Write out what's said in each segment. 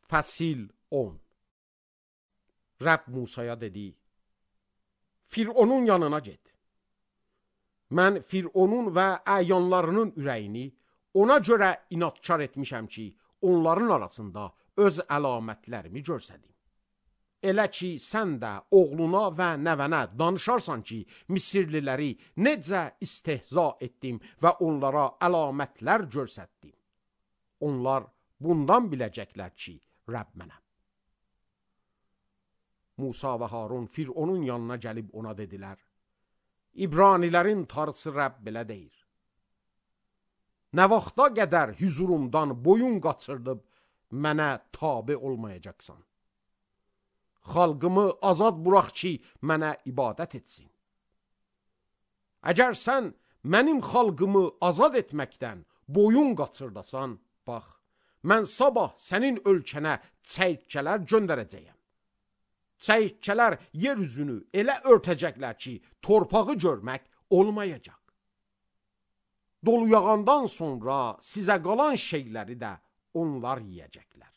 Fəsil 10. Rəbb Musaya dedi, Fironun yanına get. Mən Fironun və əyanlarının ürəyini ona görə inadkar etmişəm ki, onların arasında öz əlamətlərimi görsədim. Elə ki, sən də oğluna və nəvənə danışarsan ki, Misirliləri necə istehza etdim və onlara əlamətlər görsətdim. Onlar bundan biləcəklər ki, Rəbb mənəm. Musa və Harun Fironun yanına gəlib ona dedilər, İbranilərin tarısı Rəbb belə deyir. Nə vaxta qədər hüzurumdan boyun qaçırdıb mənə tabe olmayacaqsan? Xalqımı azad burax ki, mənə ibadət etsin. Əgər sən mənim xalqımı azad etməkdən boyun qaçırdasan, bax, mən sabah sənin ölkənə çəyirtkələr göndərəcəyəm. Çəyirtkələr yer üzünü elə örtəcəklər ki, torpağı görmək olmayacaq. Dolu yağandan sonra sizə qalan şeyləri də onlar yiyəcəklər.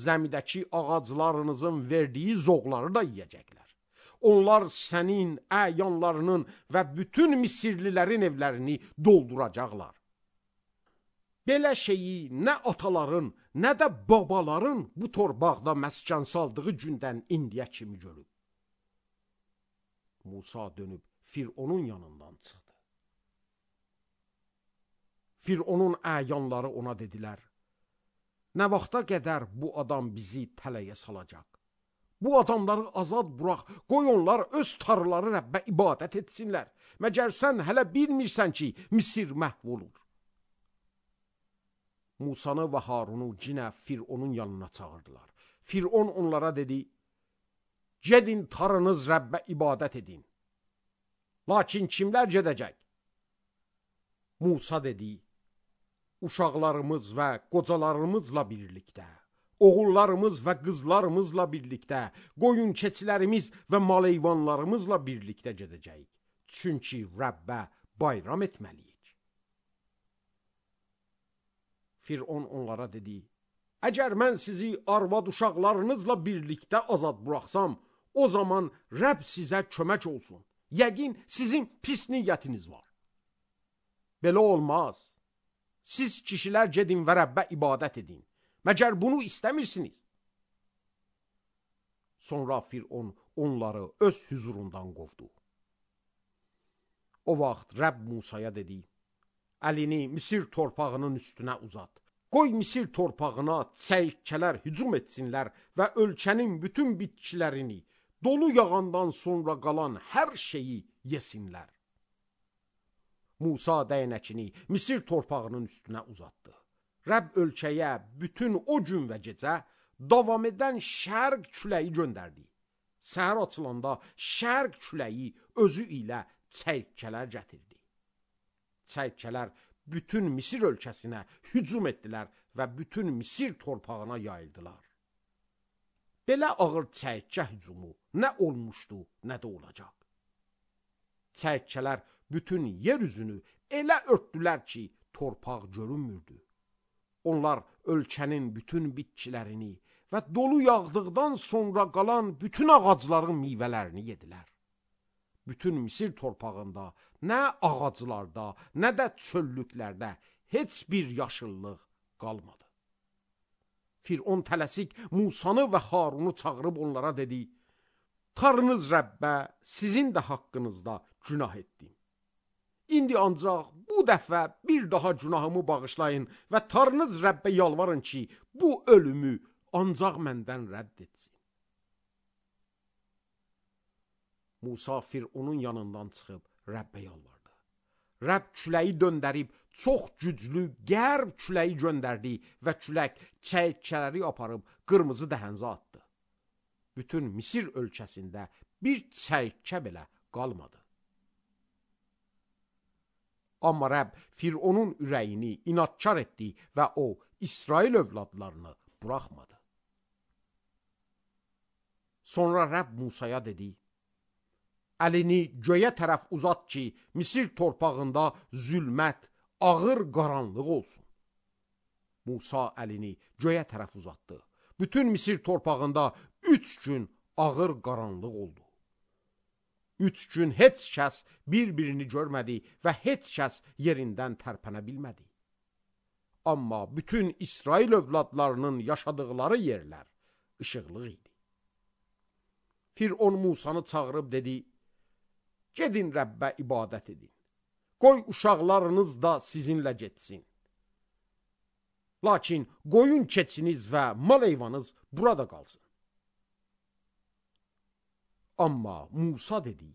Zəmidəki ağaclarınızın verdiyi zoğları da yiyəcəklər. Onlar sənin, əyanlarının və bütün Misirlilərin evlərini dolduracaqlar. Belə şeyi nə ataların, nə də babaların bu torpaqda məskən saldığı gündən indiyə kimi görüb. Musa dönüb Fironun yanından çıxdı. Fironun əyanları ona dedilər, nə vaxta qədər bu adam bizi tələyə salacaq? Bu adamları azad burax, qoy onlar öz tarlaları Rəbbə ibadət etsinlər. Məgər sən hələ bilmirsən ki, Misir məhv olur. Musanı və Harunu cinə Fironun yanına çağırdılar. Firon onlara dedi, gedin tarınız Rəbbə ibadət edin. Lakin kimlər gedəcək? Musa dedi, uşaqlarımız və qocalarımızla birlikdə, oğullarımız və qızlarımızla birlikdə, qoyun keçilərimiz və maleyvanlarımızla birlikdə gedəcəyik. Çünki Rəbbə bayram etməliyik. Firon onlara dedi, əgər mən sizi arvad uşaqlarınızla birlikdə azad buraxsam, o zaman Rəbb sizə kömək olsun. Yəqin sizin pis niyyətiniz var. Belə olmaz. Siz kişilər gedin və Rəbbə ibadət edin. Məgər bunu istəmirsiniz? Sonra Firon onları öz hüzurundan qovdu. O vaxt Rəbb Musaya dedi, əlini Misir torpağının üstünə uzat. Qoy Misir torpağına çəyirtkələr hücum etsinlər və ölkənin bütün bitkilərini, dolu yağandan sonra qalan hər şeyi yesinlər. Musa dəyənəkini Misir torpağının üstünə uzatdı. Rəbb ölkəyə bütün o gün və gecə davam edən şərq küləyi göndərdi. Səhər açılanda şərq küləyi özü ilə çəyirtkələr gətirdi. Çəyirtkələr bütün Misir ölkəsinə hücum etdilər və bütün Misir torpağına yayıldılar. Belə ağır çəyirtkə hücumu nə olmuşdu, nə də olacaq. Çəyirtkələr bütün yer üzünü elə örtdülər ki, torpaq görünmürdü. Onlar ölkənin bütün bitkilərini və dolu yağdıqdan sonra qalan bütün ağacların meyvələrini yedilər. Bütün Misir torpağında nə ağaclarda, nə də çöllüklərdə heç bir yaşıllıq qalmadı. Firon tələsik Musanı və Harunu çağırıb onlara dedi, tarınız Rəbbə sizin də haqqınızda günah etdim. İndi ancaq bu dəfə bir daha günahımı bağışlayın və tarınız Rəbbə yalvarın ki, bu ölümü ancaq məndən rədd etsin. Musa Fironun yanından çıxıb Rəbbə yalvardı. Rəbb küləyi döndərib çox güclü qərb küləyi göndərdi və külək çəyirtkələri aparıb qırmızı dəhənzə atdı. Bütün Misir ölkəsində bir çəyirtkə belə qalmadı. Amma Rəbb Fironun ürəyini inadkar etdi və o İsrail övladlarını buraxmadı. Sonra Rəbb Musaya dedi, əlini göyə tərəf uzat ki, Misir torpağında zülmət, ağır qaranlıq olsun. Musa əlini göyə tərəf uzatdı. Bütün Misir torpağında 3 gün ağır qaranlıq oldu. 3 gün heç kəs bir-birini görmədi və heç kəs yerindən tərpənə bilmədi. Amma bütün İsrail övladlarının yaşadıqları yerlər işıqlıq idi. Firon Musanı çağırıb dedi, gedin Rəbbə ibadət edin. Qoy uşaqlarınız da sizinlə getsin. Lakin qoyun keçiniz və mal heyvanınız burada qalsın. Amma Musa dedi,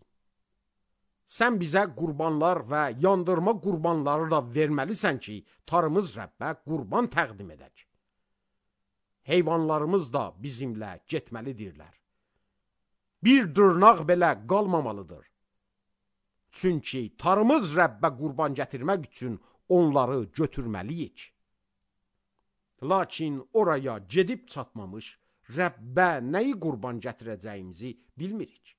sən bizə qurbanlar və yandırma qurbanları da verməlisən ki, tarımız Rəbbə qurban təqdim edək. Heyvanlarımız da bizimlə getməlidirlər. Bir dırnaq belə qalmamalıdır. Çünki tarımız Rəbbə qurban gətirmək üçün onları götürməliyik. Lakin oraya gedib çatmamış, Rəbbə nəyi qurban gətirəcəyimizi bilmirik.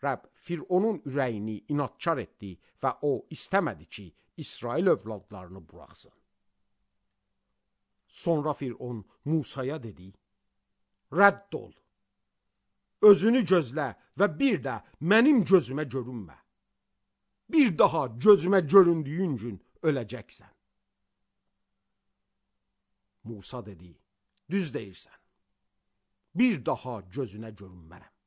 Rəbb Fironun ürəyini inadkar etdi və o istəmədi ki, İsrail övladlarını buraxsın. Sonra Firon Musaya dedi, rədd ol, özünü gözlə və bir də mənim gözümə görünmə. Bir daha gözümə göründüyün gün öləcəksən. Musa dedi, düz deyirsən, bir daha gözünə görünmərəm.